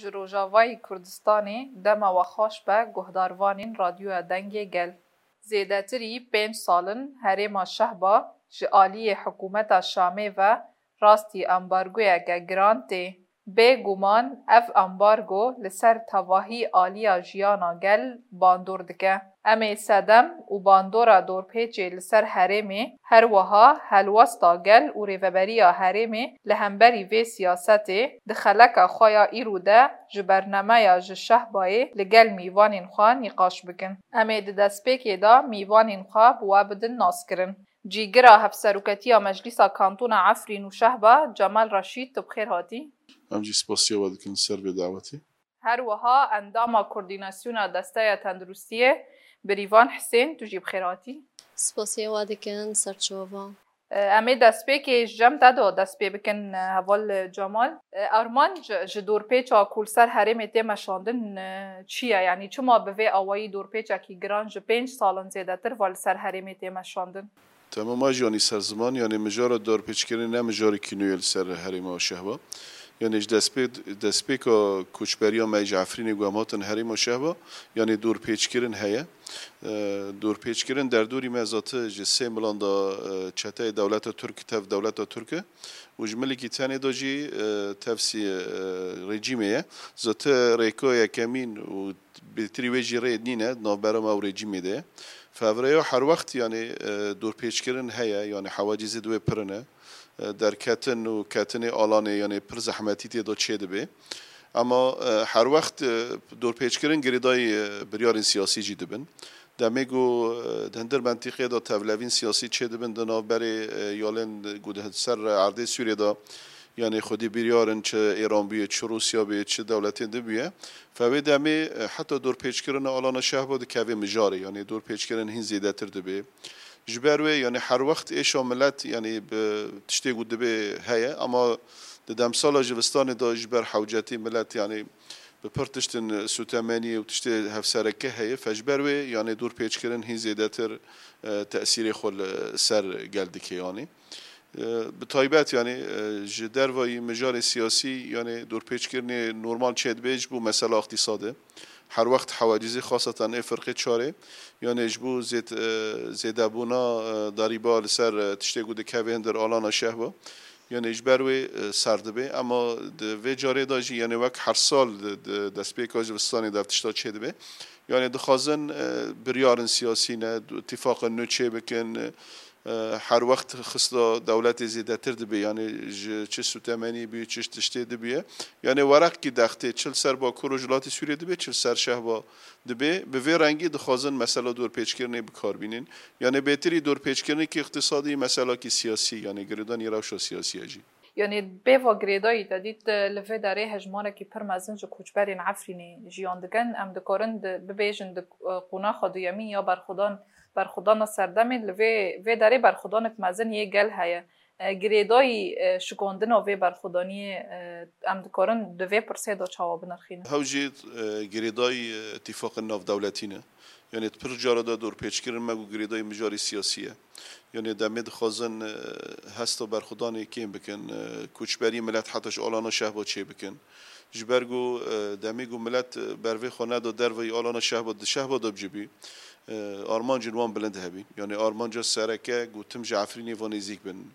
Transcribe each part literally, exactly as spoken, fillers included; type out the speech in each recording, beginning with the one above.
Ji Rojavayê Kurdistanê dema we xweş be guhdarvanên Radyoya Dengê Gel. Zêdetirî pênc sal in herêma Şehba ji aliyê hikûmeta Şamê ve rastî ambargoyeke giran tê. Bê guman ev ambargo li ser tevahî aliya jiyana gel bandor dike. Em ê sedem û bandora dorpêçê li ser herêmê, her wiha helwesta gel û rêveberiya herêmê li hemberî vê siyasetê di xeleka xwe ya îro de ji bernameya ji Şehbayê li gel mîvanên xwe nîqaş bikin. Em ê di destpêkê de mîvanên xwe bi we bidin naskirin. Cîgira Hevseroketiya Meclîsa Kantona Efrîn û Şehba, Cemal Reşîd, tu bi xêr hatî. Em jî spasiya we dikin ser vê dawetê. Her wiha endama Koordînasyona Desteya Tenduristiyê, Birîvan Hisên, tu jî bi xêr hatî. Spasiya we dikin, ser çava. E, em ê destpêkê ji cem te de dest pê bikin, e, heval Cemal. E, armanc ji dorpêça ku li ser herêmê tê meşandin, e, çi ye? Yanî çima bi vê awayî dorpêçekî giran ji pênc sal in zêdetir va li ser herêmê tê meşandin? Temama jî yanî ser ziman, yanî mijara dorpêçkirinê ne mijarekî nû ye li ser herêma Şehba. Yanî ji destpê-, destpêka koçberiya me ji Efrînê ku em hatin herêma Şehba, yanî dorpêçkirin heye. E, dorpêçkirin derdorî me zate ji sê milan de, e, çeteyê dewleta Tirk tev dewleta Tirk e û ji milikî tenê de jî, e, tev sî, e, rejîmê ye. Zate rêka yekemîn û bêtirî wê jî rê nîne, navbera me û rejîmê de ye. Fevreya her wext, yanî, e, dorpêçkirin heye, yanî hewacîzê di wê pir ne. E, derketin û ketinê alanê, yanî pir zehmetî tê de çê dibe. Ama, e, her wext, e, dorpêçkirin girêdayî, e, biryarên siyasî jî dibin. Demê ku, e, di hindir mentîqê de tevlevîn siyasî çê dibin di navberê, e, yalên ku di ser erdê Sûriyê de, yanî xwedî biryar in, çi Îran bûye, çi Rûsya bûye, çi dewletên din bûye. Fe wê demê, e, heta dorpêçkirina alana Şehba dikeve mijarê, yanî dorpêçkirin hîn zêdetir dibe. Ji ber wê, yanî her wext êşa milet, yanî bi tiştê ku dibe heye, ama di demsala jivistanê de ji ber hewcetî milet, yanî bi pir tiştin sûtemenî û tiştê hevsereke heye, fe ji ber wê, yanî dorpêçkirin hîn zêdetir, e, tesîrê xwe li ser gel dike, yanî. E, bi taybet, yanî, e, ji dervayî mijarê siyasî, yanî dorpêçkirinê normal çêdibe ji bo mesela îqtîsadê. Her wext hewacîzî xaseten ê firqê çarê, yanî ji bo zêd-, e, zêdebûna, e, darîba li ser, e, tiştê ku dikeve hindir alana Şehba. Yanî ji ber wê, e, ser dibe. Ema di vê carê de jî, yanî wek her sal di, di destpêka zivistanê de ev tişta çêdibe. Yanî dixwazin, e, biryarên siyasî ne, îtîfaqên nû çêbikin, e, E, her wext xista dewletê zêdetir dibe, yanî ji çi sûtemenî bûye, çi tiştê dibiye. Yanî wereqkî dextê, çi li ser Bakur û Rojhilatê Sûriyê dibe, çi li ser Şehba dibe, bi vê rengî dixwazin mesela dorpêçkirinê bi kar bînin. Yanî bêtirî dorpêçkirinekî îqtîsadî, meselakî siyasî, yanî girêdanî rewşa siyasî ye jî. Yanî bêva girêdayî te dît, li vê derê hejmarekî pir mezin ji koçberên Efrînê jiyan dikin. Em dikarin di, bibêjin di, e, qonaxa duyemîn ya berxwedan, berxwedana serdemê, li vê, vê derê berxwedanek mezin yê gel heye. E, girêdayî, e, şikandina vê berxwedaniyê, e, em dikarin di vê pirsê de çawa binirxînin? Hew jî, e, girêdayî, e, îtîfaqên navdewletî ne. Yanî di pir cara de dorpêçkirin me ku girêdayî mijarê siyasî ye. Yanî demê dixwazin, e, hesta berxwedanê kêm bikin, e, koçberî milet heta ji alana Şehba çê bikin. Ji ber ku, e, demê ku milet, e, bervê xwe neda derveyî alana Şehba, di Şehba de bicibî, e, armancên wan bilind hebîn. Yanî armanca sereke ku tim ji Efrînê ve nêzîk bin.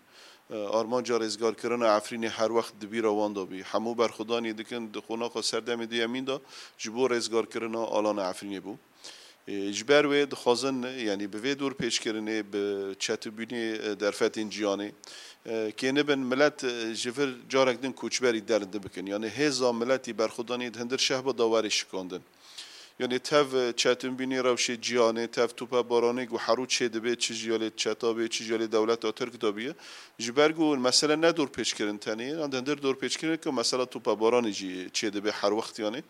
E, armanca rêzgarkirina Efrînê her wext di bîra wan de bî. Hemû berxwedanê dikin, di qonaxa serdemê duyemîn de ji bo rêzgarkirina alana Efrînê bû. E, ji ber wê dixwazin, yanî bi vê dorpêçkirinê, bi çetinbûnê, e, derfetên cîhanê, e, kênibin milet, e, ji vir carek din koçberî derinde bikin. Yanî hêza miletî berxwedanî di hindir Şehba de were şikandin. Yanî tev, e, çetinbûnê rewşê cîhanê, tev topebaranê ku herû çêdibe, çi ji alê çeta bê, çi ji alê dewleta Tirk de bûye. Ji ber ku mesele ne dorpêçkirin tenê ye, yan di hindir dorpêçkirin ku mesela topebaranê jî çêdibe her wext yanî.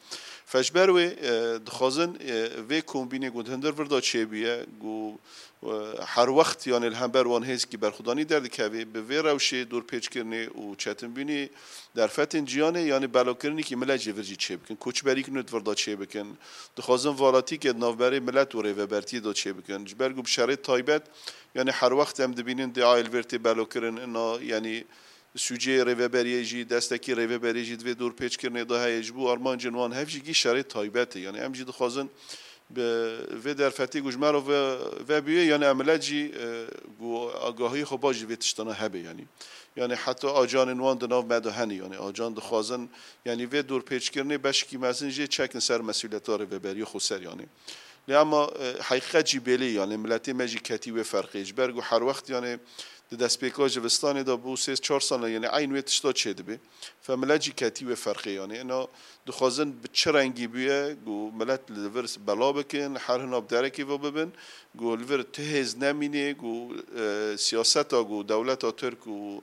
Fe ji ber wê, e, dixwazin, e, vê kombînê ku di hindir vir de çêbûye, ku, e, her wext yanî li hember wan hêzkî berxwedanî derdikeve, bi vê rewşê dorpêçkirinê û çetinbûnê derfetên cîhanê, yanî belakirinekî milet ji vir jî çêbikin, koçberîk nû di vir de çêbikin. Dixwazin valatîkê di navberê milet û rêvebertiyê de çêbikin. Ji ber ku bi şerê taybet, yanî her wext em dibînin di ayê li vir tê belakirin, ina, yanî Sûcê rêveberiyê jî, destekî rêveberiyê jî di vê dorpêçkirinê de heye. Ji bo armancên wan hev jî gî şerê taybet e. Yanî em jî dixwazin bi vê derfetê ku ji me re ve, vebûye, yanî em milet jî, e, ku agahiyê xwe baş ji vê tiştana hebe, yanî. Yanî heta acanên wan di nav me de hene, yanî acan dixwazin, yanî vê dorpêçkirinê beşkî mezin jê çekin ser mesûliyeta rêveberiya xweser, yanî. Lê ema, e, heqîqet jî belê, yanî miletê me jî ketî wê ferqê. Ji ber ku her wext, yanî di destpêka zivistanê de bû sê çar sala, yanî eyn wê tişta çêdibe. Fe milet jî ketî wê ferqê, yanî. Ena dixwazin bi çi rengî bûye, ku milet li vir bela bikin, her hina bi derekê ve bibin, ku li vir ti hêz nemînê, ku, e, siyaseta ku dewleta Tirk û,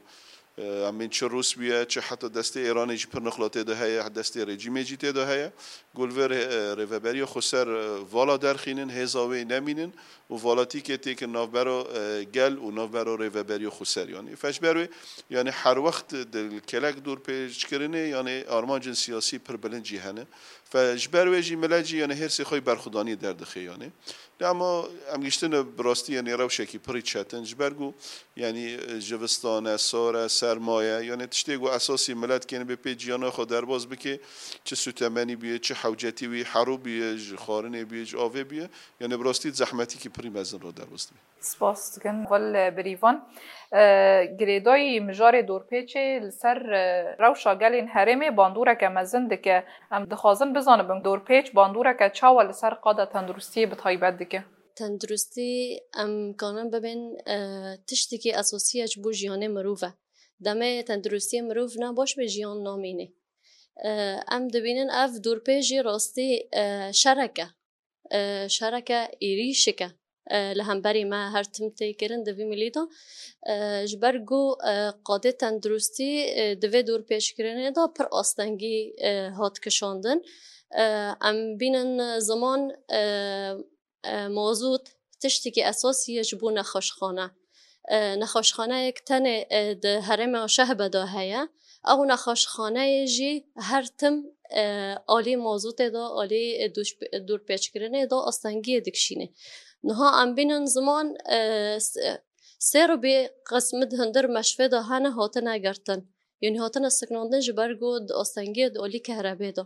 e, em bên çi Rûs bûye, çi heta destê Êranê jî pir nixla tê de heye, destê rejîmê jî tê de heye, ku li vir, e, rêveberiya xweser, e, vala derxînin, hêza wê nemînin û valatîkê têkin navbera, e, gel û navbera rêveberiya xweser. Yanî fe ji ber wê, yanî her wext di kêlek dorpêçkirinê, yanî armancên siyasî pir bilind jî hene. Fe ji ber wê jî milet jî, yanî hêrsê xwe yê berxwedaniyê derdixe, yanî. Lê ema em giştine bi rastî, yanî rewşekî pirî çetin. Ji ber ku, yanî, e, zivistan e, sar e, serma ye, yanî tiştê ku esasî milet kênibê pê ciyana xwe derbas bike, çi sûtemenî bûye, çi hewcetî wî, herû bûye, ji xwarinê bûye, ji avê bûye, yanî bi rastî zehmetîkî pirî mezin re derbas dibe. Spas dikin. Vel birîvan, e, girêdayî mijarê dorpêçê li ser, e, rewşa gelên herêmê bandoreke mezin dike. Em dixwazin bizanibin, dorpêç bandoreke çawa li ser qada tenduristiyê bi taybet dike? Tenduristî, em kanin bibên, e, tiştekî esasî ye ji bo jiyanê mirov e. Demê tenduristiyê mirov nebaş be, jiyan namîne. E, em dibînin ev dorpêç jî rastî, e, şerek e. E, şereke êrîşik e, e, li hemberî me her tim tê kirin di vî milî de. E, ji ber ku, e, qadê tenduristî, e, di vê dorpêçkirinê de pir astengî, e, hat kişandin. E, em bînin ziman, e, e, mazût tiştekî esasî ye ji bo nexweşxane. E, nexweşxaneyek tenê, e, di herêma Şehbe de heye. Ew nexweşxaneyê jî her tim, e, alî mazûtê de, alî, e, dûş-, dorpêçkirinê de astengiyê dikişîne. Niha em bînin ziman, e, s-, sêr û bê qismit hundir meşvê de hene hatine girtin. Yanî hatine siknandin ji ber ku di astengiyê di alî kehrebê de.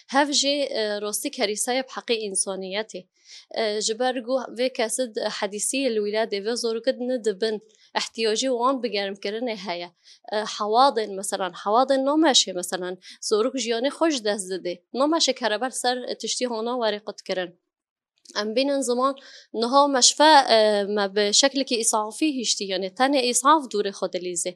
Hev jî, e, rastî kerîseye bi heqê însaniyetê. E, ji ber ku vê kesî di hedîsiyê li wîladê vê zorokî nidibin, ihtiyacî wan bi germkirinê heye. E, hewadên, meselan, hewadên nameşê, meselan, zorok jiyanê xwe ji dest didê. Nameşê kerebe li ser tiştî hana were qutkirin. Em bînin ziman niha meşfe, e, me bi şeklekî îsafî hiştî, yanî tenê îsaf dûrê xwe dilîzê.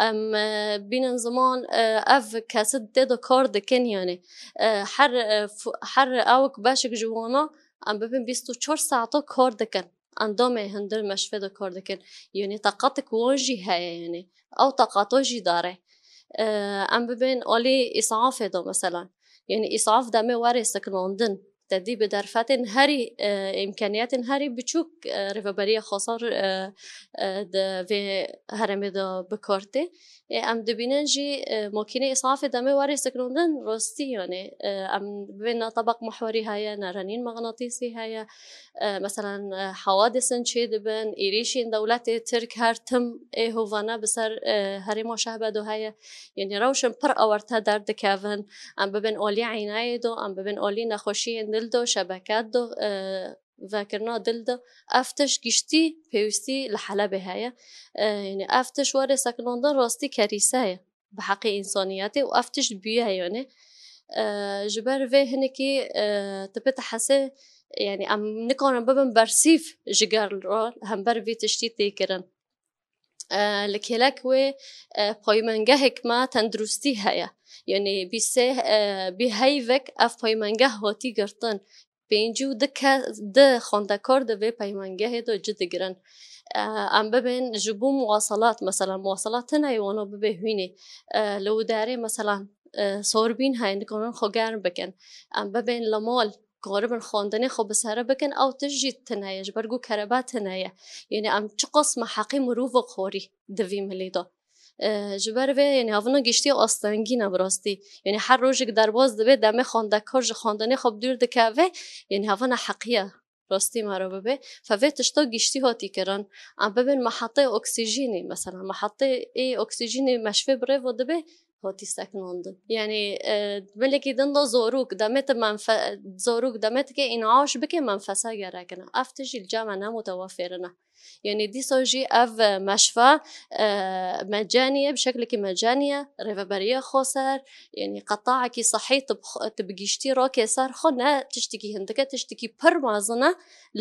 Em, e, bînin ziman, e, ev kesî tê de kar dikin, yanî, e, her, e, f-, her ewk beşek ji wana em bibin bîst û çar saeta kar dikin. Endamê hundir meşvê de kar dikin. Yanî taqatek wan jî heye, yanî ew taqata jî dare. E, em bibên alî îsafê de, meselan. Yanî îsaf demê were siknandin. Te dî bi derfetên herî, e, îmkaniyetên herî biçûk, e, Rêveberiya Xweser, e, e, di vê herêmê de bi kar tê. Ê, em dibînin jî, e, makînê îsafê demê were siknandin, rastî, yanî, e, em bibên ne tebaq mihwerî heye, ne renîn mexnatîsî heye. E, meselan, e, hewadisên çêdibin, êrîşên dewletê Tirk her tim ê hovane bi ser, e, herêma Şehbe de heye. Yanî rewşên pir awarte derdikevin. Em bibên alî eynayê de, em bibên alî nexweşiyên dil de, şebeke de, e, vekirina dil de. Ev tişt giştî pêwîstî li Helebê heye. E, yanî ev tişt were sekinandin rastî kerîse ye bi heqê însaniyetê û ev tişt bûye, yanî, e, ji ber vê hinekî, e, tu pê te hesê, yanî em nikarin bibin bersîv ji gel re hember vê tiştî tê kirin. E, li kêlek wê, e, paymengehek me tenduristî heye. Yanî bî sê, e, bî heyvek ev paymengeh hatî girtin. Pêncî û du ke-, du xwendekar di vê peymengehê de ci digirin. E, em bibên ji bo muwaselat, mesela muwaselat tune ye wana bibe hûnê. E, li wê derê, mesela, e, sorbîn heye, nikarin xwe germ bikin. Em bibên li mal, karibin xwendinê xwe bi sere bikin, ew tişt jî tune ye, ji ber ku kerebe tune ye. Yanî em çiqas me heqê mirovê xwarî di vî milî de. E, ji ber vê, yanî, havina giştî astengî ne bi rastî. Yanî her rojek derbas dibe, demê xwendekar ji xwendinê xwe bi dûr dikeve, yanî havina heqî ye. rastî me re bibe. Fe vê tişta giştî hatî kirin. Em bibin mehetê oksîjînê, mesela mehetê ê oksîjînê meşvê bi rê ve dibe, hatî sekinandin. Yanî, e, milekî din de zorûk, demê tu menfe-, zorûk, demê tu ke în'aş bike, menfese gerekine. Ev tişt jî li cem me ne mutewefir in. Yanî dîsa jî ev meşve, e, mecenî ye, bi şeklekî mecenî ye, rêveberiya xweser, yanî qetaekî sehî tu bi xwe, tu bi giştî rakê ser xwe ne tiştekî hindike, tiştekî pir mezin e.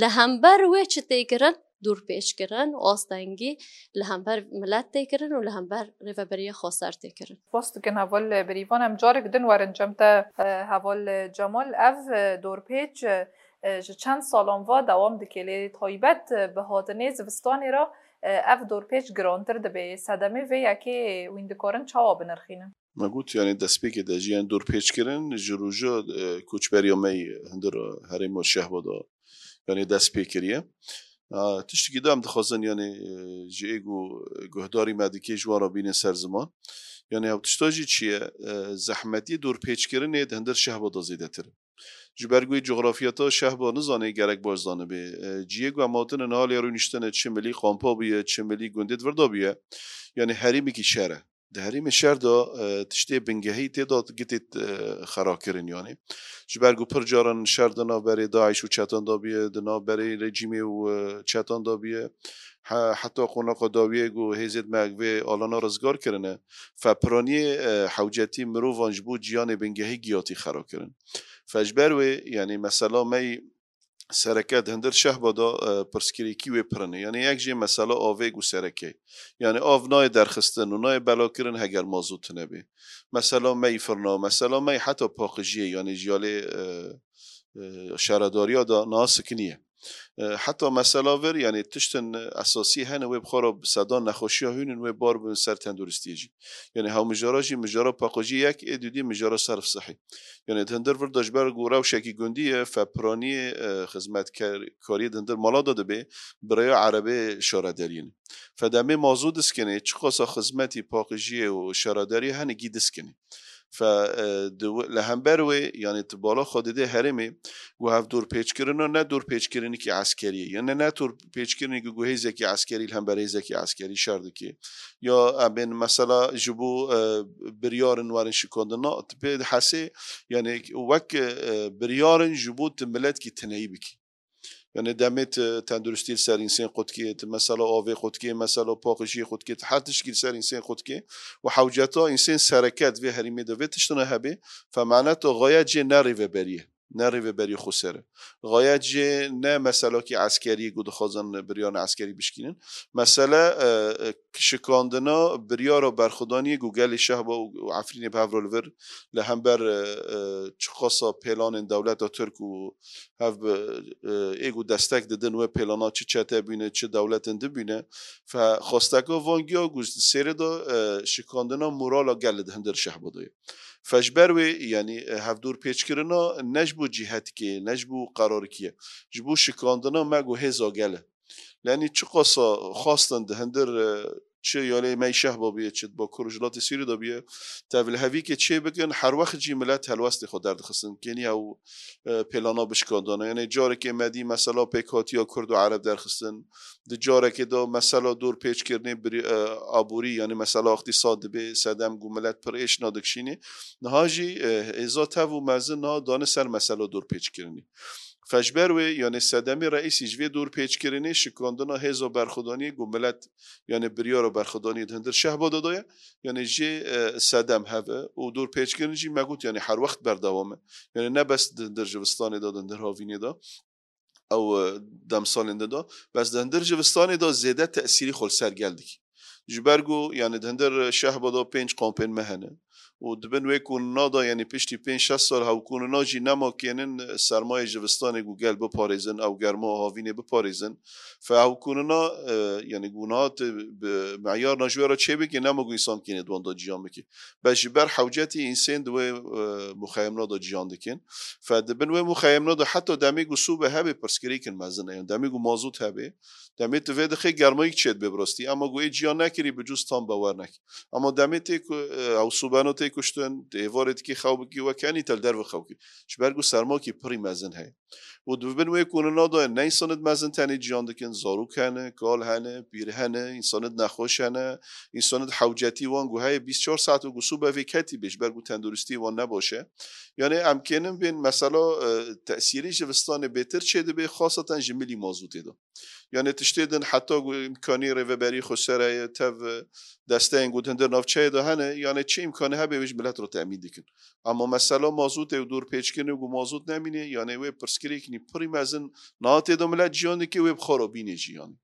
Li hember wê çi tê kirin? Dûrpêçkirin û astengî li hember milet tê kirin û li hember rêveberiya xweser tê kirin. Spas dikin heval Birîvan. Em carek din werin cem te, e, heval Cemal. Ev, e, dorpêç, e, ji çend salan va dewam dike, lê taybet, e, bi hatinê zivistanê re, e, ev dorpêç girantir dibe. Sedemê vê yekê hûn dikarin çawa binirxînin? Me got, yanî destpêkê de jî, yanî dorpêçkirin ji roja, e, koçberiya me yê hundir herêma Şehba de, yanî dest pê kiriye. A, tiştekî de em dixwazin, yanî, e, ji ê ku guhdarî me dike ji wan re bînin ser ziman. Yanî ew tişta jî çi ye? E, zehmetiyê dorpêçkirinê di hundir Şehba de zêdetir e. Ji ber ku wê cografiyata Şehba nizanê, gerek baş zanibê. E, cihê ku em hatine niha lê rûniştine, çi milî kampa bûye, çi milî gundê di vir de bûye, yanî herêmekî şer e. Di herêmê şer de, e, tiştê bingehî tê de gitê, e, xera kirin, yanî. Ji ber ku pir caran şer di navberê DAIŞ û çetan de bûye, di navberê rejîmê û, e, çetan de bûye. He-, heta qonaxa dawiyê ku hêzêd me vê alana rizgar kirine. Fe piraniyê, e, hewcetî mirovan ji bo ciyanê bingehî giyatî xera kirin. Fe ji ber wê, yanî mesela me yî sereke di hundir Şehba de, e, pirsgirêkî wê pir in e. Yanî yek jê mesela avê ku sereke ye. Yanî av nayê derxistin û nayê belakirin heger mazot tune bê. Mesela me yî firna, mesela me yî heta paqijiyê, yanî ji alê, e, e, şaredariya de niha sikiniye. E, heta mesela vir, yanî tiştin esasî hene wê bi xwe re bi sedan nexweşiya hûn in wê bar bin ser tenduristiyê jî. Yanî hew mijara jî, mijara paqijiyê yek ê, dûdî mijara serf sihî. Yanî di hundir vir de ji ber ku rewşekî gundî ye, fe piraniyê, e, xizmetkariyê di hundir mala de dibe, bi rêya erebê şaredariyê ne. Fe demê mazû diskinê, çiqasa xizmetî paqijiyê û şaredariyê hene gî diskinê. Fe, e, di wi-, li hember wê, yanî tu bala xwe didê herêmê, ku hev dorpêçkirina ne dorpêçkirinekî eskerî ye. Yanî ne dorpêçkirinekî ku hêzekî eskerî li hember hêzekî eskerî şer dike. Ya em bên mesela ji bo, e, biryarin werin şikandin, na, tu pê dihesê, yanî wek, e, biryarin ji bo tu miletkî tineyî bikî. Yanî demê tu tenduristî li ser însên qutkê, tu mesela avê qutkê, mesela paqijiyê qutkê, tu her tiştkî li ser însên qutkê û hewceta însên sereke di vê herêmê de vê tiştine hebe, fe mane tu xayet jê ne rêveberiyê, ne rêveberiya xweser e. Xayet jê ne meselakî eskerî ku dixwazin biryarên eskerî bişkînin. Mesele, e, e, şikandina biryara berxwedaniyê ku gelê Şehba û, û Efrînê bi hev re li vir li hember, e, e, çiqasa pêlanên dewleta Tirk û hev bi, e, ê ku destek didin wê pêlana çi çete bûne, çi dewletên di bûne. Fe xwesteka van giya ku di sêrê de, e, şikandina morala gel di hundir Şehba de ye. Fe ji ber wê, yanî, e, hevdorpêçkirina ne ji bo cîhetikê, ne ji bo qerarikî ye. Ji bo şikandina me ku hêza gel e. Yanî çiqasa xwestin di hundir, e, çi yalê me yî Şehba bûye, çi di Bakur û Rojhilatê Sûrî de bûye, tevlihevîkê çê bikin, her wext jî milet helwestê xwe derdixistin. Kênî ew, e, pêlana bişkandana. Yanî carekê me dî mesela pêkhatiya Kurd û Ereb derxistin. Di carekê de mesela dorpêçkirinê birî-, e, aborî, yanî mesela îqtîsad dibê sedem ku milet pir êş nadikişînê. Niha jî, e, hêza tev û mezin niha dane ser mesela dorpêçkirinê. Fe ji ber wê, yanî sedemê reîsî ji vê dorpêçkirinê şikandina hêza berxwedaniyê ku milet, yanî biryara berxwedaniyê di hundir Şehba de daye, yanî jê, e, sedem hev e û dorpêçkirin jî me got, yanî her wext berdewam e. Yanî ne bes di hundir Jivistanê de, di hundir Havînê de, ew, e, demsalên din de, bes di hundir Jivistanê de zêde tesîrî xwe li ser gel dike. Ji ber ku, yanî di hundir Şehba de pênc kampên me hene û di bin wê kûnina de, yanî piştî pênc şeş sal hewkûnina jî nema kênin sermayê Jivistanê ku gel biparêzin, ew germa havînê biparêzin. Fe hewkûnina, e, yanî ku niha tu bi meyarna ji wê re çê bikî, nema ku însan kênê di wan de ciyan bikî. Bes ji ber hewcetî însên di wê, e, muxeyemna de ciyan dikin. Fe di bin wê muxeyemna de heta demê ku sûbe hebe pirsgirêkin mezin e. Yanî demê ku mazot hebe, demê tu vê dixê germayîk çêdibe bi rastî. Ema ku ê ciyan nekirî bi cûz tam bawer nekî. Ema demê tê ku, e, ew sûbeno tê kuştin, di êvarê dikî xew bikî, weke enî te li derve xew kî. Ji ber ku sermakî pirî mezin heye. Û di bin wê konina de ne însanê mezin tenê ciyan dikin, zarok hene, kal hene, pîr hene, însanê nexweş hene, însanê hewcetî wan ku heye bîst çar saet û ku sûbe vê ketî bê, ji ber ku tenduristî wan nebaş e. Yani em kênin bên mesela, e, tesîrî ji vistanê bêtir çêdibe, xaseten ji milî mazûtê de. Yani tiştê din heta ku îmkanî rêveberî xweser heye, tev, e, desteyên ku di hundir navçeyê de hene, yani çi îmkanî hebe wê ji milet re temîn dikin. Ama mesela mazûtê û dorpêçkirinê ku mazût nemîne, yani wê pirsgirêkî pirî mezin niha tê de milet ciyan dike, wê bi xwe re bîne jî yani.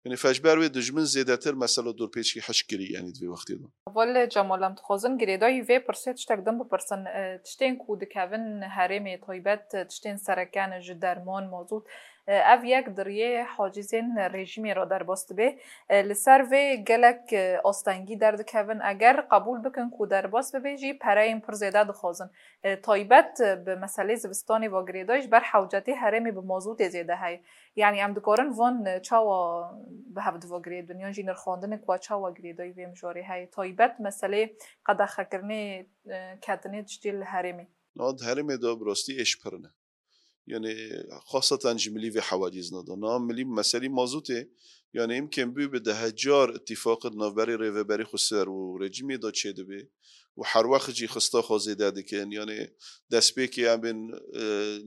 Yani feşber wê dijmin zêdetir mesela dorpêçkî hişk kirî yani di vê wextê de. Heval Cemal, em dixwazin girêdayî vê pirsê tiştek din bipirsin. E, tiştên ku dikevin herêmê taybet, tiştên sereke ne ji derman, mazût, e, ev yek di riyê hacîzên rejîmê re derbas dibe. E, li ser vê gelek, e, astengî derdikevin. Eger qebûl bikin ku derbas bibe jî pereyên pir zêde dixwazin. E, taybet, e, bi meselê zivistanê ve girêdayî ji ber hewcetî herêmê bi mazûtê zêde heye. Yani em dikarin van, e, çawa bi hev diva girêdin, yan jî nirxandinê ku çawa girêdayî vê mijarê heye, taybet meselê qedexekirinê, e, ketinê tiştê li herêmê? Niha di herêmê de bi rastî êş pir ne. Yani xaseten ji milî vê hewacîzna de. Niha milî meselî mazûtê, yani îmkên bû bi dehe car îtîfaqê di navberê rêveberî xweser û rejîmê de çêdibe û her wext jî xista xwe zêde dikin. Yani destpêkê em bên, e,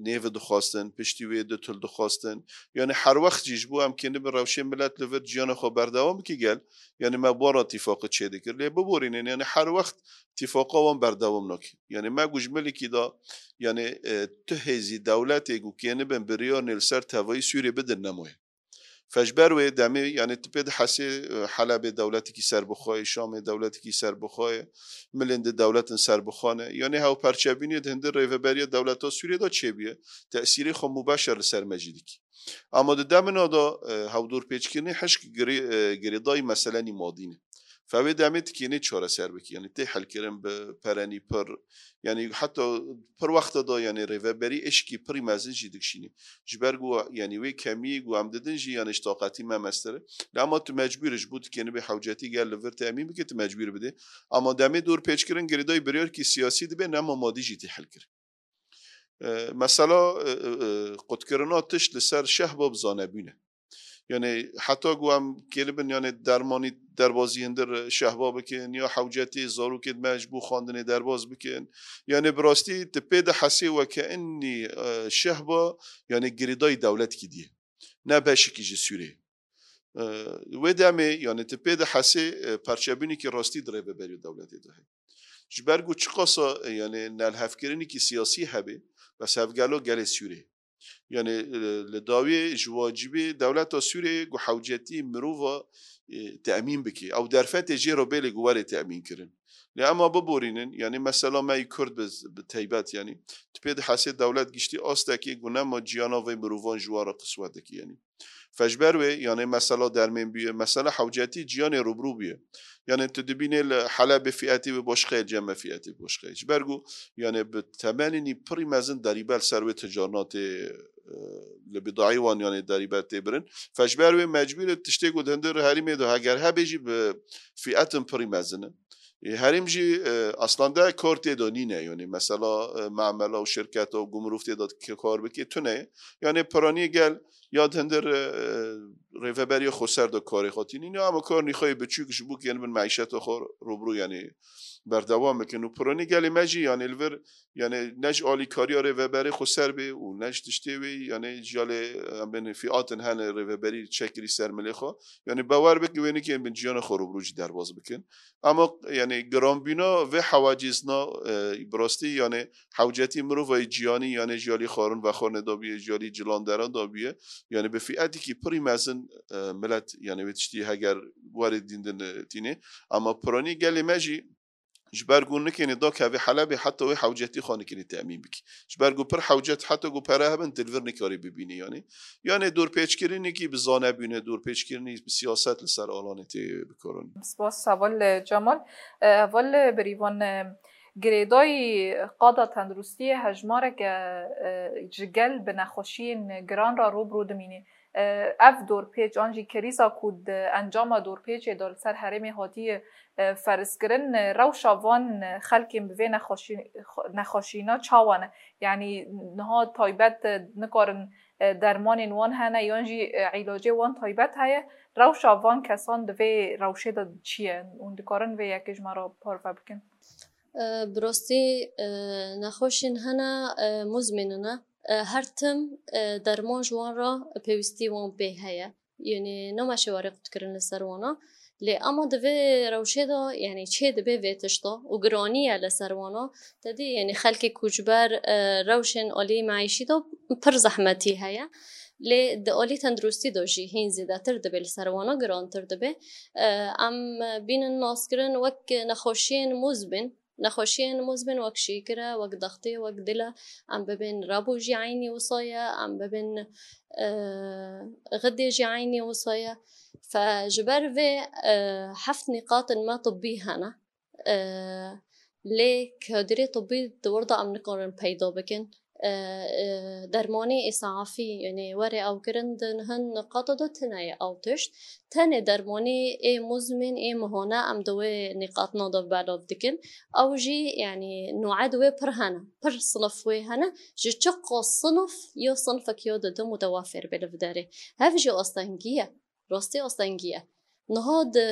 nêve dixwastin, piştî wê du til dixwastin. Yani her wext jî ji bo em kênibin rewşê milet li vir ciyana xwe berdewam bike gel. Yani me bi wan re îtîfaqê çêdikir. Lê biborînin, yani her wext îtîfaqa wan berdewam nake. Yani me ku ji milikî de, yani, e, tu hêzî dewletê ku kênibin biryarnê li ser tevayî Sûriyê bidin nemaye. Fe ji ber wê demê, yani tu pê dihesê, e, Helebê dewletekî serbixwe ye, Şamê dewletekî serbixwe ye, milên di dewletin serbixwe ne. Yani hewperçebûnê di hundir rêveberiya dewleta Sûriyê de çêbûye, tesîrê xwe mubeşer li ser me jî dikî. Ama di demina de, e, hewdorpêçkirinê hişk girê-, e, girêdayî meselenî madî ne. Fe wê demê tikênê çareser bikî. Yani tê helkirin bi perenî pir, yani heta pir wexta de, yani rêveberî êşkî pirî mezin jî dikişînî. Ji ber ku, yani wê kemiyê ku em didin jî, yani ji taqetî me mestir e. Lê ama tu mecbûr î, ji bo tu kênibê hewcetî gel li vir temîn bike, tu mecbûr bidê. Ama demê dorpêçkirin girêdayî biryarkî siyasî dibe, nema madî jî tê helkirin. E, mesela, e, e, e, qutkirina tişt li ser şehba bi zanebûn e. Yani heta ku em kênibin, yani dermanî derbazî hundir şehba bikin, ya hewcetî zarokê me ji bo xwendinê derbaz bikin. Yani bi rastî tu pê dihesê weke enî, e, şehba, yani girêdayî dewletkî diye. Ne beşikî ji Sûriyê. E, wê demê, yani tu pê dihesê, e, perçebûnekî rastî di rêveberiya dewletê de heye. Ji ber ku çiqasa, e, yani nelhevkirinekî siyasî hebe, bes hevgelo gelê Sûriyê. Yani, e, li dawiyê ji wacibê dewleta Sûriyê ku hewcetî mirova, e, temîn bike. Ew derfetê jê re bê lê ku were temîn kirin. Lê ema biborînin, yani mesela me yî Kurd bi, bi teybet, yani tu pê dihesê dewlet giştî astekê ku nema ciyana vê mirovan ji wan re qiswet dike, yani. Fe ji ber wê, yani mesela dermên bûye, mesela hewcetî ciyanê rûbirû bûye. Yani tu dibînê li Helebê fîetê wê başqe ye, cem me fîetê başqe ye. Ji ber ku, yani bi temenînî pirî mezin derîbe li ser wê ticarinatê, e, li bidayî wan, yani derîbe tê birin. Fe ji ber wê mecbûr e tiştê ku di hundir herêmê de heger hebe jî bi fîetin pirî mezin in. Ê, herêm jî, e, aslında kar tê de nîne, yani mesela, e, mamela û şirketa û gumrûf tê de ke-, kar bike tune ye. Yani piranî gel ya di hundir, e, rêveberiya xweser de karê xwe tînîne, ama kar nîxayê biçûk ji bo kênibin meîşeta xwe rûbirû, yani berdewam bikin. Û piranî gelê me jî, yani li vir, yani ne ji alîkariya rêveberê xweser bê û ne ji tiştê wê, yani ji alê, em bên fîatin hene rêveberî çekirî ser milê xwe. Yani bawer bike wê nikên bin ciyana xwe rûbirû jî derbas bikin. Ama, yani, giranbîna vê hewacîzna, e, bi rastî, yani, hewcetî mirovayî ciyanî, yani, ji alî xwarin vexwarinê dabiye, ji alî cilandera dabiye. Yani, bi fîetekî pirî mezin, e, milet, yani, wê tiştî heger werê dîndin, e, tînê. Ama piranî gelê me jî, ji ber ku nikênê dakeve Helebê, heta wê hewcetî xwe nikênê temîn bikî. Ji ber ku pir hewcet, heta ku pere hebin, tu li vir nikarî bibînî, yani. Yani, dorpêçkirinekî bi zanebûne, dorpêçkirinî bi siyaset li ser alanê tê bikaranîn. Spas, heval Cemal. E, heval Birîvan, e, girêdayî qada tenduristiyê hejmareke, e, ji gel bi nexweşiyên giran re rû bi rû dimîne. Ev dorpêç an jî krîza ku di encama dorpêçê de li ser herêmê hatiye ferizkirin, rewşa van xelkên bi vê nexweşî-, nexweşîna çawa ne? Yanî niha taybet nikarin, dermanên wan hene yan jî îlacê wan taybet heye? Rewşa van kesan di vê rewşê de çi ye? Hûn dikarin vê yekê ji me re parve bikin? Bi rastî nexweşên hene muzmîn ne. Her tim derman ji wan re pêwîstî wan pê heye. Yanî name şêwarê qutkirin li ser wana. Lê ema di vê rewşê de, yanî çê dibe vê tişta û giranî ye li ser wana. Te dî, yanî xelkê ku ji ber rewşên alî meîşî de pir zehmetî heye. Lê di alî tenduristî de jî hîn zêdetir dibe li ser wana, girantir dibe. Em bînin naskirin wek nexweşiyên muzmîn. Nexweşiyên muzmîn wek şîkir e, wek dextê, wek dil e, em bibên rebo jî eynî wisa ye, em bibên xidê jî eynî wisa ye. Fe ji ber vê heft nîqatin me tibbî hene. Lê kadirê tibbî di wir de em nikarin peyda bikin. Dermanê îsafî, yanî were ewkirin di hin niqata de tune ye ew tişt. Tenê dermanê ê muzmîn, ê mihane em di wê nîqatina de belav dikin. Ew jî, yanî, noe di wê pir hene. Pir sinif wê hene. Ji çiqas sinif ya sinfek ya didim mutewafir be li vê derê. Hev jî astengî ye. Rastî astengî ye. Niha di,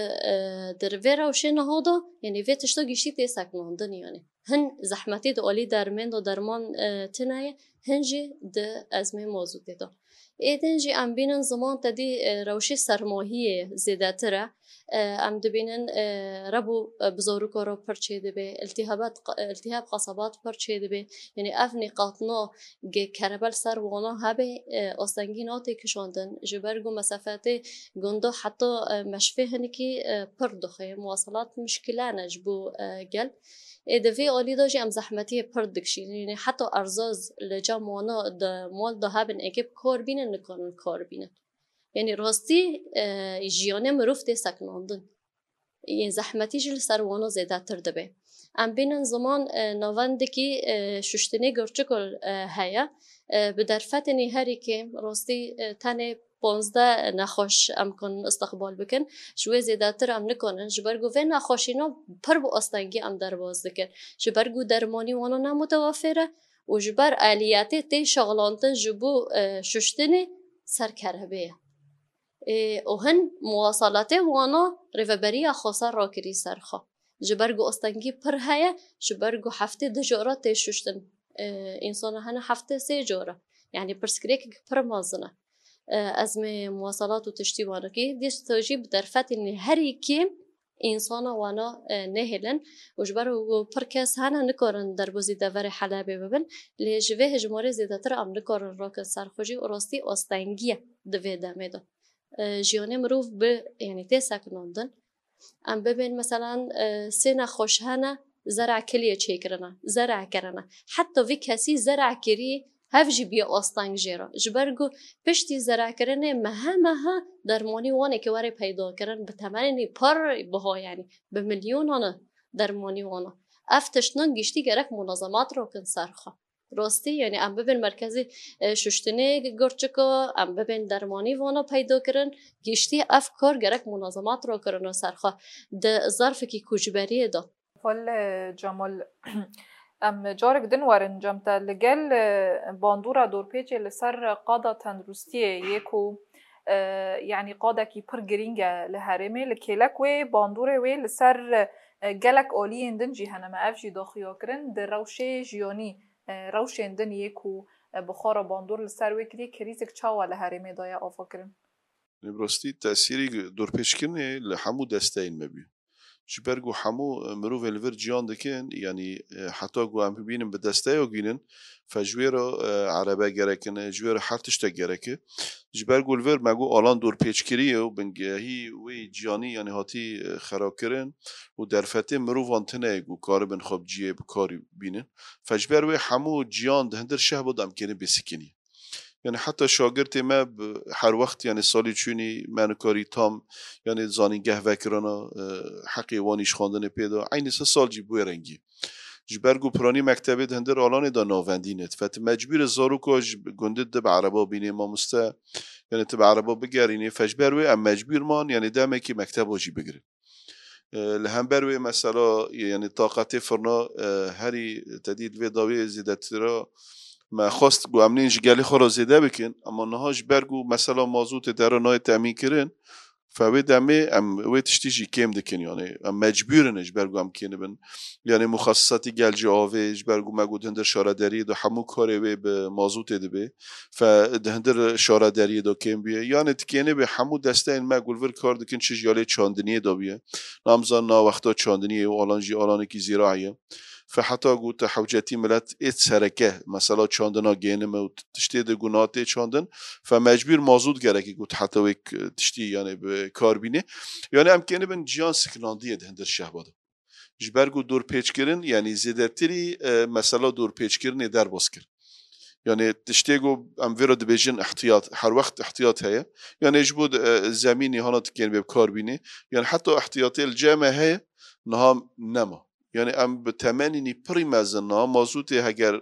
di vê rewşê niha de, yanî vê tişta giştî tê sekinandin, yanî. Hin zehmetî di alî dermên de derman tune ye, hin jî di ezmê mazûtê de. Êdîn jî em bînin ziman te dî rewşê sermahiyê zêdetir e. Em dibînin rebo bi zaroka re pir çêdibe, îltîhab qesabat pir çêdibe. Yanî ev nîqatina ge kerebe li ser wana hebe, astengî nate kişandin. Ji ber ku mesafetê gunda heta meşvê hinekî pir dixê, muwaselat mişkile ne ji bo gel. Ê di vê alî de jî em zehmetiyê pir dikişînin. Yanî heta erzaz li cem wana di mal de hebin, êkê bi kar bînin, nikarin kar bînin. Yanî rastî jiyanê mirov tê sekinandin. Yên zehmetî jî li ser wana zêdetir dibe. Em bînin ziman navendekî şuştinê girçikol heye. Bi derfetên herî kêm rastî tenê panzdeh nexweş em kanin istiqbal bikin. Ji wê zêdetir em nikanin. Ji ber ku vê nexweşîna pir bi astengî em derbas dikin. Ji ber ku dermanî wana ne mutewafir e û ji ber aliyetê tê şexlantin ji bo şuştinê ser kerebê ye. Û hin muwasalatê wana rêveberiya xweser rakirî ser xwe. Ji ber ku astengî pir heye, ji ber ku heftê du cara tê şuştin. Însana hene heftê sê cara. Yanî pirsgirêkek pir mezin e. Ezmê muwasalat û tiştî wanekî dîsto jî bi derfetên herî kêm însana wana nehêlin û ji ber ku pir kes hene nikarin derbozî deverê Helebê bibin, lê ji vê hejmarê zêdetir em nikarin rakin ser xwe jî û rastî astengî ye di vê demê de. Jiyanê mirov bi, yanî tê sekinandin. Em bibên meselan sê nexweş hene, zer'a kiliyê çêkirine, zer'a kirine. Heta vî kesî zer'a kirî hev jî bîye asteng jê re. Ji ber ku piştî zer'a kirinê mehe mehe dermanî wanekî were peyda kirin bi temenê pir biha, yanî bi milyonan e dermanî wana. Ev tiştin giştî gerek munazemat rakin ser xwe. Rastî, yanî em bibin merkezê şuştinê girçika, em bibin dermanî vana peyda kirin, giştî ev kar gerek munazemat rakirine ser xwe. Di zarfekî koçberiyê de. Xwel Cemal, em carek din werin cem te. Li gel bandora dorpêçê li ser qada tenduristiyê yê ku, e, yanî qadekî pir girîng e li herêmê, li kêlek wê bandorê wê li ser, e, gelek aliyên din jî hene. Me ev jî daxuya kirin di rewşê jiyanî, e, rewşên din yê ku, e, bi xwe re bandor li ser wê kiriye, krîzek çawa li herêmê daye avakirin? Bi rastî tesîrî dorpêçkirinê li hemû desteyên me bû. Ji ber ku hemû mirovên li vir ciyan dikin, yanî heta ku em bibînin bi desteya bînin, fe ji wê re erebe gerek in, ji wê re her tiştek gerek e. Ji ber ku li vir me got alan dorpêçkirî ye û bingehî wê ciyanî yanî hatî xerakirin û derfetê mirovan tune ye ku karibin xwe bi cihê bi kar bînin. Fe ji ber wê hemû ciyan di hindir şehba de em kêrin bêsikinî. Yani heta şagirtê me her wext yani salî çûnî me nikarî tam yani zanîngeh vekirana, e, heqê wan îşxandinê pê da. Eynî se sal jî bi wê rengî. Ji ber ku piranî mektebê di hindir alanê de navendî ne. Fetî mecbûr e zaroka ji gundê dibe ereba bînê mamoste. Yani tu bi ereba bigerînê, fe ji ber wê em mecbûr man, yani demekî mekteba jî bigirin. E, li hember wê mesela, yani taqetê firna, e, herî te dî li vê dawiyê zêdetira me xwest ku em nên ji gelê xwe re zêde bikin, ama niha ji ber ku mesela mazûtê dere nayê temîn kirin, fe wê demê em wê tiştî jî kêm dikin, yani em mecbûr in ji ber ku em kênibin. Yani muxasisatî gel ji avê, ji ber ku me got hindir şaredariyê de hemû karê wê bi mazûtê dibe. Fe di hindir şaredariyê de kêm bûye. Yani tikêne be hemû desteyên me ku li vir kar dikin, çi ji alê çandiniyê de bûye. Namzan na wexta çandiniyê û alan jî alanekî zîrayê ye. Fe heta ku te hewcetî milet ê sereke, mesela çandina gênime û tiştê de ku na tê çandin, fe mecbûr mazût gerekî ku te heta wê k-, tiştî yani bi kar bînê. Yani em kênibin ciyan sikinandiye di hindir şehba de. Ji ber ku dorpêçkirin, yani zêdetirî, e, mesela dorpêçkirinê derbas kir. Yani tiştê ku em vê re dibêjin ihtiyat, her wext ihtiyat heye. Yani ji bo, e, zemînê hana tikên bê bi kar bînê. Yani heta ihtiyatê li cem me heye, niha nema. Yani em bi temenînî pirî mezin niha mazûtê heger,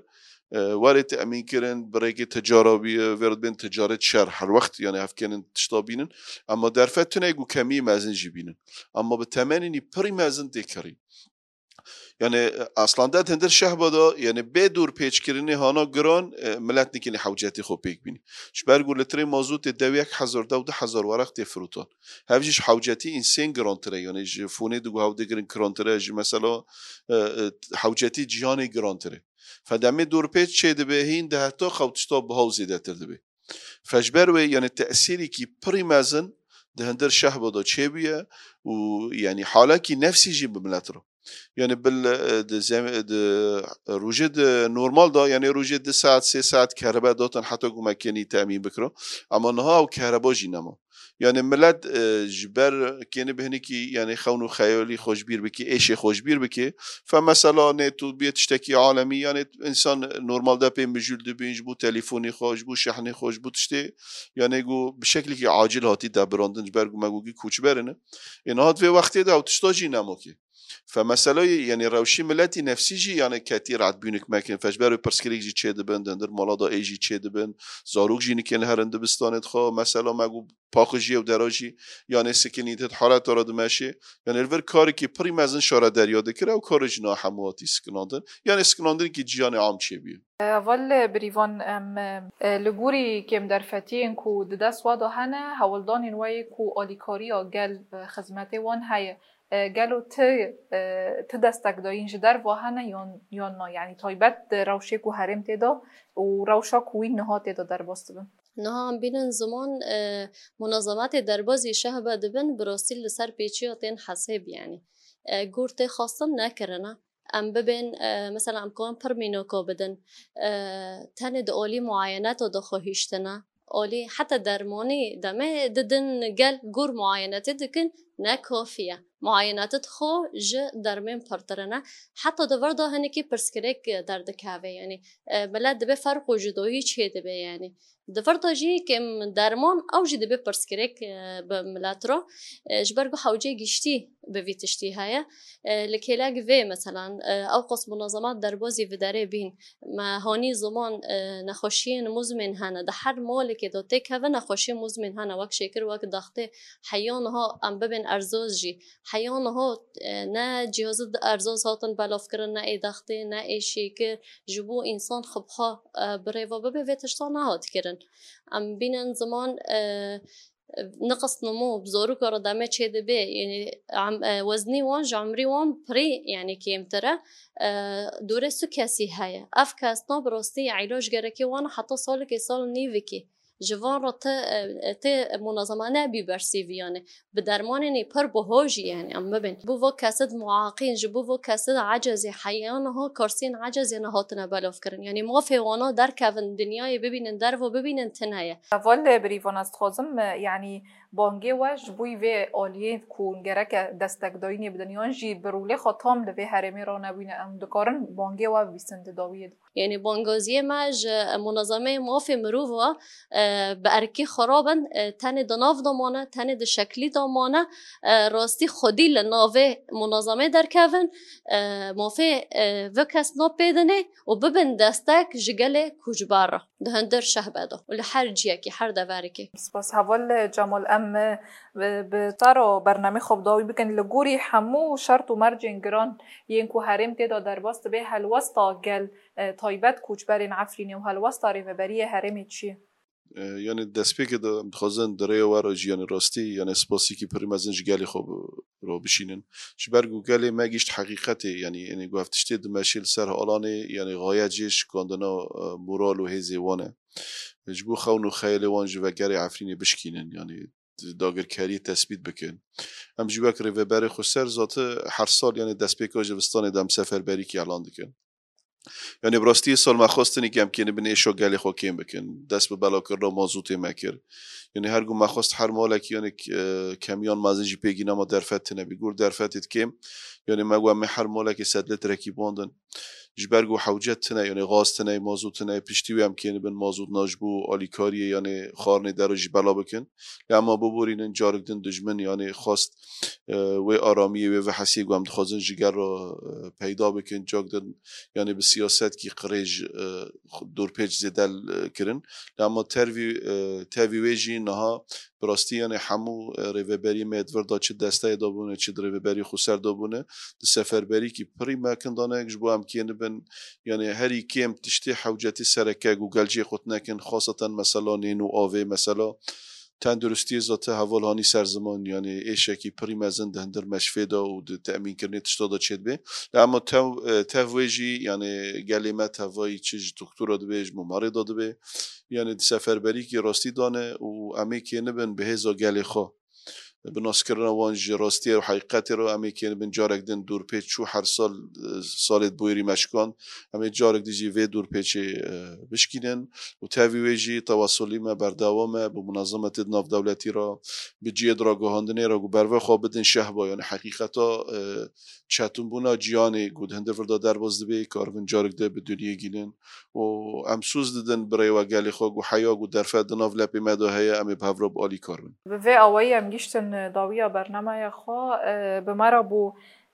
e, were temîn kirin, bi rêkê ticara bî, e, vê re dibên ticaret şer. Her wext yani hevkênin tişta bînin. Ama derfet tune ku kemî mezin jî bînin. Ama bi temenînî pirî mezin tê kirî. Yani, e, aslında di hindir şehba de, yani bê dorpêçkirinê hana giran, e, milet nikîne hewcetî xwe pêk bînî. Ji ber ku litrê mazûtê dew yek hezar, dew du hezar weraq tê firotan. Hev jî ji hewcetî însên girantir e. Yani ji fonê di ku hev digirin girantir e, ji mesela, e, e, hewcetî ciyanê girantir e. Fe demê dorpêç çê dibe, hîn di heta xew tişta biha û zêdetir dibe. Fe ji ber wê, yani tesîrîkî pirî mezin di hindir şehba de çêbûye û yani halekî nefsî jî bi milet re. Yani bil, e, di zem-, di rojê di normal de, yani rojê du saet, sê saet kehribe datin heta ku me kênî temîn bikiro. Ama niha ew kehriba jî nema. Yani milet, e, ji ber kênî bi hinekî, yani xewn û xeyalî xwe ji bîr bike, êşê xwe ji bîr bike. Fe mesela nê tu bê tiştekî alemî, yani însan normalde pê mijûl dibîn ji bo telîfonê xwe, ji bo şehnê xwe, ji bo tiştê, yani ku bi şeklekî acil hatî debirandin, ji ber ku me gogî koçber in. Ê niha di vê wextê de ew tişta jî nema kê. Fe meseleyê, yani rewşî miletî nefsî jî, yani ketî rehetbûnik mekin. Fe ji ber wê pirsgirêk jî çê dibin, di hindir mala de ê jî çê dibin. Zarok jî nikên herin dibistanê dixwe. Mesela me got paqijiyê û dera jî, yani sikinî di hareta re dimeşê. Yani li vir karekî pirî mezin şaredariya dikir, ew karê jî niha hemû hatî sikinandin. Yani sikinandinekî ciyanê am çêbûye. Heval Birîvan, em, e, li gorî kêmderfetiyên ku di dest we de hene, hewldanên we yê ku alîkariya gel, e, xizmetê wan heye. E, gelo ti, e, ti destekdayîn ji derve hene yan, yan na? Yanî taybet di rewşê ku herêm tê de û rewşa ku wî niha tê de derbas dibin. Niha em bînin ziman, e, munazemetê derbazî şehbe dibin, bi rastî li ser pêçiya tên hesêb, yanî. E, gor tê xwestin nekirine. Em bibên, e, mesela em karin pir mînaka bidin. E, tenê di alî muayeneta de xwe hiştine. Alî heta dermanî demê didin gel gor muayenetê dikin, ne kafî ye. Muayenetê xwe ji dermên pirtir e. Heta di vir de hinekî pirsgirêk derdikeve, yanî, e, milet dibê ferq û cudayî çê dibe, yanî. Di vir de jî kêm derman, ew jî dibe pirsgirêk, e, bi milet re. E, ji ber ku hewcê giştî bi vî tiştî heye. E, li kêlek vê, meselan, e, ew qas munazemat derbazî vê derê bîn. Me hanî ziman, e, nexweşiyên muzmên hene. Di her malekê de têkeve nexweşiyên muzmên hene. Wek şêkir, wek daxtê, heya niha em bibên erzaz jî. Heya niha, e, ne cihazê erzaz hatin belavkirin, ne ê daxtê, ne ê şêkir. Ji bo însan xwe biha, e, bi rêva bibe vê tişta nehat kirin. Em bînin ziman, e, niqis nimo bi zaroka re demê çê dibe, yanî em, e, weznî wan ji emrî wan pirî, yanî kêmtir e. E, dûrê su kesî heye. Ev kesna bi rastî îlac gerekê wan heta salekê, sal nîvikê. Ji van re ti, e, ti munazema nebî bersîvî, yanî bi dermanên pir biho jî, yanî em bibin. Ji bo va kesê muaqîn, ji bo va kesê ecezî, heya niha karsên ecezî nehatine belavkirin. Yanî mafê wana derkevin, dinyayê bibînin, dervo bibînin, tune ye. Heval Birîvan, ez dixwazim, e, yanî bangê we ji bo vê aliyê ku gereke destekdayînê bidin, yan jî bi rolê xwe tam li vê herêmê ranebûne, em dikarin bangê we bibîsin di dawiyê de? Yanî bangaziyê me ji munezemeyê mafê mirov ve, e, bi erkî xirab in, e, tenê di nav de mane, tenê di şeklî de mane, e, rastî xwedî li navê munezemê derkevin, e, mafê, e, vê kes napêdinê û bibin destek ji gelê koçber re di hundir şehbe de û li her ciyekî, her deverekê. Spas heval Cemal, em, e, bi, bi te re bernamê xwe bi dawî bikin. Li gorî hemû şert û mercên giran yên ku herêm tê de derbas dibe, helwesta gel, e, taybet koçberên Efrînê û helwesta rêveberiyê herêmê çi ye? E, yanî destpêkê de em dixwazin di rêya we re jî, yanî rastî, yanî spasîkî pirî mezin ji gelê xwe bi-, re bişînin. Ji ber ku gelê me gihîşt heqîqetê, yanî, yanî ku ev tiştê dimeşê li ser alanê, yanî xayet jê şikandina, e, moral û hêzê wan e. Ji bo xewn û xeyalê wan ji vegerê Efrînê bişkînin, yanî dagirkeriyê tesbît bikin. Em jî wek rêveberê xweser zate her sal, yanî destpêka zivistanê de em seferberîkî elan dikin. Yanî bi rastî sal me xwestin ke em kênibin êşa gelê xwe kêm bikin. Dest bi belakirina mazûtê me kir. Yanî her ku me xwest her malekî, yanî k-, e, kemiyan mezin jî pêgîna me derfet tine bî. Gor derfetê kêm, yanî me got em ê her malekê sed litrekî bandin. Ji ber ku hewce tine, yanî gaz tine, mazût tine, piştî wê em kênibin mazût na ji bo alîkariyê, yanî xwarinê dero jî bela bikin. Lê ema biborînin carek din dijmin, yanî xwest, e, wê aramiyê, wê vehesiyê ku em dixwazin ji gel re, e, peyda bikin, cak din, yanî bi siyasetkî qirêj, e, dorpêç zêde, e, kirin. Lê ema tervî, e, tevî wê jî niha bi rastî, yanî hemû, e, rêveberiyê me di vir de çi desteyê de bûne, çi di rêveberî xweser de bûne, di seferberîkî pirî mekin dane, ji bo em kênibin, yanî herî kêm tiştê hewcetî sereke ku gel jê qut nekin, xaseten mesela nîn û avê, mesela tenduristiyê zate heval hanî ser ziman, yanî êşekî pirî mezin di hundir meşfê de û di temînkirinê tişta de çêdibe. Lê ema tev, e, tev wê jî, yanî gelê me tevayî çi ji doktora dibe, ji mimarê de dibe, yanî di seferberîkî rastî dane û em ê kênibin bi hêza gelê xwe, bi naskirina wan ji rastiyê û heqîqetê re, em ê kênibin carek din dorpêç çû her sal, e, salê di bûyerî me şikand. Em ê carek din jî vê dorpêçê, e, bişkînin û tevî wê jî tewasulî me berdewam e bi munazemetê di navdewletî re, bi cihê di ragihandinê re ku berve xwe bidin şehba, yanî heqîqeta, e, çetinbûna ciyanê ku di hundir vir de derbas dibe, karibin carek din bi dinyê gînin. û em soz didin bi rêwa gelê xwe ku heya ku derfet di nav lepê me de heye, em ê bi hev re bi alîkar bin. Bi vê awayî em gihîştin dawiya bernameya xwe, e, bi me re bû,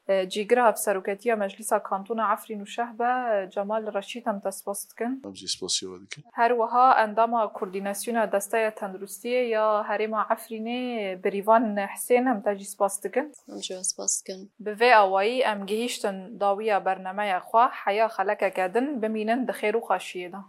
e, cîgira Hevseroketiya Meclîsa Kantona Efrîn û Şehbe, e, Cemal Reşîd, em te spas dikin. Em jî spasiya we dikin. Her wiha endama Koordînasyona Desteya Tenduristiyê ya Herêma Efrînê Birîvan Hisên, em te jî spas dikin. Em jî we spas dikin. Bi vê awayî em gihîştin dawiya bernameya xwe, heya xelekeke din bimînin di xêr û xweşiyê de.